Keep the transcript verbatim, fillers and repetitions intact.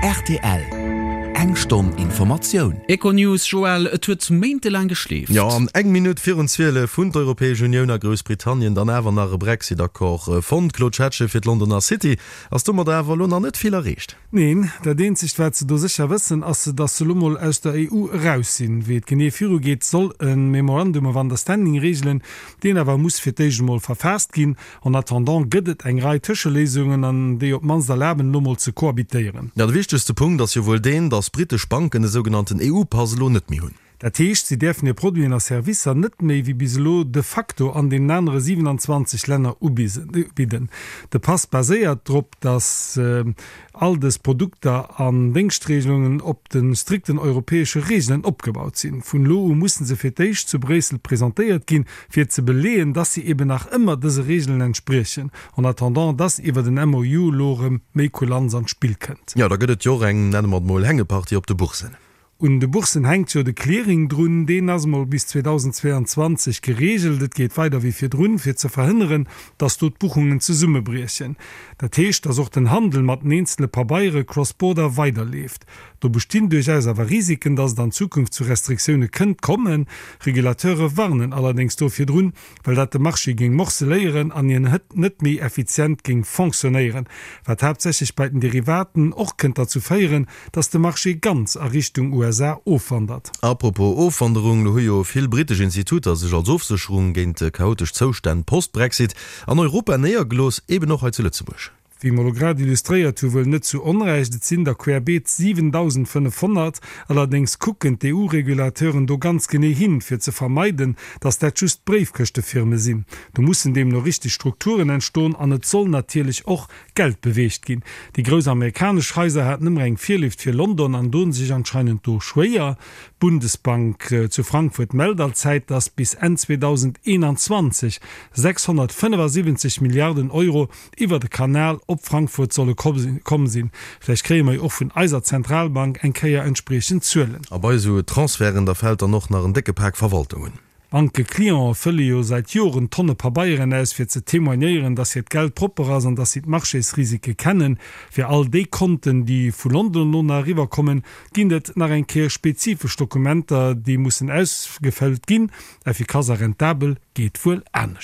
R T L Eng Stonn Informatioun. Econews, Joël, et huet méintelaang geschleeft. Jo, an eng Minutt virun zwielef hunn d'Europäesch Unioun a Groussbritannien dann awer nach e Brexit-Accord fonnt. Claude Schettgen, fir d'Londoner City ass domat awer elo nach net vill erreecht. Neen, dat eenzegt wat se do sécher wëssen ass, datt se lo mol aus der E U eraus sinn. Wéi et genee virugeet, soll e Memorandum of Understanding reegelen, deen awer muss fir d'éischt emol verfaasst ginn. En attendant gëtt et eng Rei Tëscheléisungen an déi op d'mannst erlaben lo mol ze kohabitéieren. Ja, de wichtegste Punkt ass jo wuel deen, datt brittesch Banken de sougenannten E U-Pass elo net méi hunn. Dat heescht, si däerfen hir Produiten a Servicer net méi wéi bis elo de facto an deenen anere siewenanzwanzeg Länner ubidden. De Pass baséiert drop, datt all dës Produkter an Déngschtreegelungen op de strikten europäesche Reegelen opgebaut sinn. Vun elo u musse se fir d'éischt zu Bréissel presentéiert ginn, fir ze beleeën, datt si eben nach ëmmer dëse Reegelen entspriechen, en attendant datt iwwer den M O U lo erëm méi Kulanz an d'Spill kënnt. Jo, da gëtt et jo och eng, nenne mer et mol, Hängepartie op de Boursen. Un de Boursen hänkt jo de Clearing drun, deen ass mol bis zweedausendzweeanzwanzeg gereegelt. Et geet weider wéi virdrun, fir ze verhënneren, datt do d'Buchungen zesummebriechen. Dat heescht, datt och den Handel mat den eenzele Pabeiere cross-border weiderleeft. Do bestinn duerchaus awer Risiken, datt et an Zukunft zu Restriktioune kënnt kommen. Regulateure warnen allerdéngs do virdrun, well dat de Marché géing morceléieren an hien net méi effizient géing fonctionnéieren, wat haaptsächlech bei den Derivaten och kënnt derzou féieren, datt de Marché ganz a Richtung U S A ofwandert. Apropos Ofwanderung, lo hu jo vill brittesch Instituter sech als Ofsécherung géint chaotesch Zoustänn post-Brexit an Europa néiergelooss, eben och hei zu Lëtzebuerg. Wéi mer lo grad illustréiert hu wuel net zu Onrecht, et sinn der querbeet siwendausendfënnefhonnert. Allerdéngs kucken d'E U-Regulateuren do ganz genee hin, fir ze vermeiden, datt dat just Bréifkëschtefirme sinn. Do mussen deemno richteg Strukturen entstoen an et soll natierlech och Geld beweegt ginn. Déi grouss amerikanesch Haiser haten ëmmer eng Virléift fir London an doen sech anscheinend do schwéier. D'Bundesbank zu Frankfurt mellt allzäit, datt bis Enn zweedausendeenanzwanzeg sechshonnertfënnefasiwwenzeg Milliarden Euro iwwer de Kanal op Frankfurt solle komm sinn. Vläicht kréie mer jo och vun eiser Zentralbank eng Kéier entspriechend Zuelen. A bei esou Transferten, da fält dann och nach en décke Pak Verwaltung un. D'Bankeclientë fëlle jo säit Joren Tonne Pabeieren aus, fir ze témoignéieren, dass hiert Geld propper ass an dass si d'Marchésrisike kennen. Fir all déi Konten, déi vu London elo nach eriwwer kommen, ginn et nach eng Kéier spezifesch Dokumenter, déi mussen ausgefëllt ginn. Effikass a rentabel geet wuel anescht.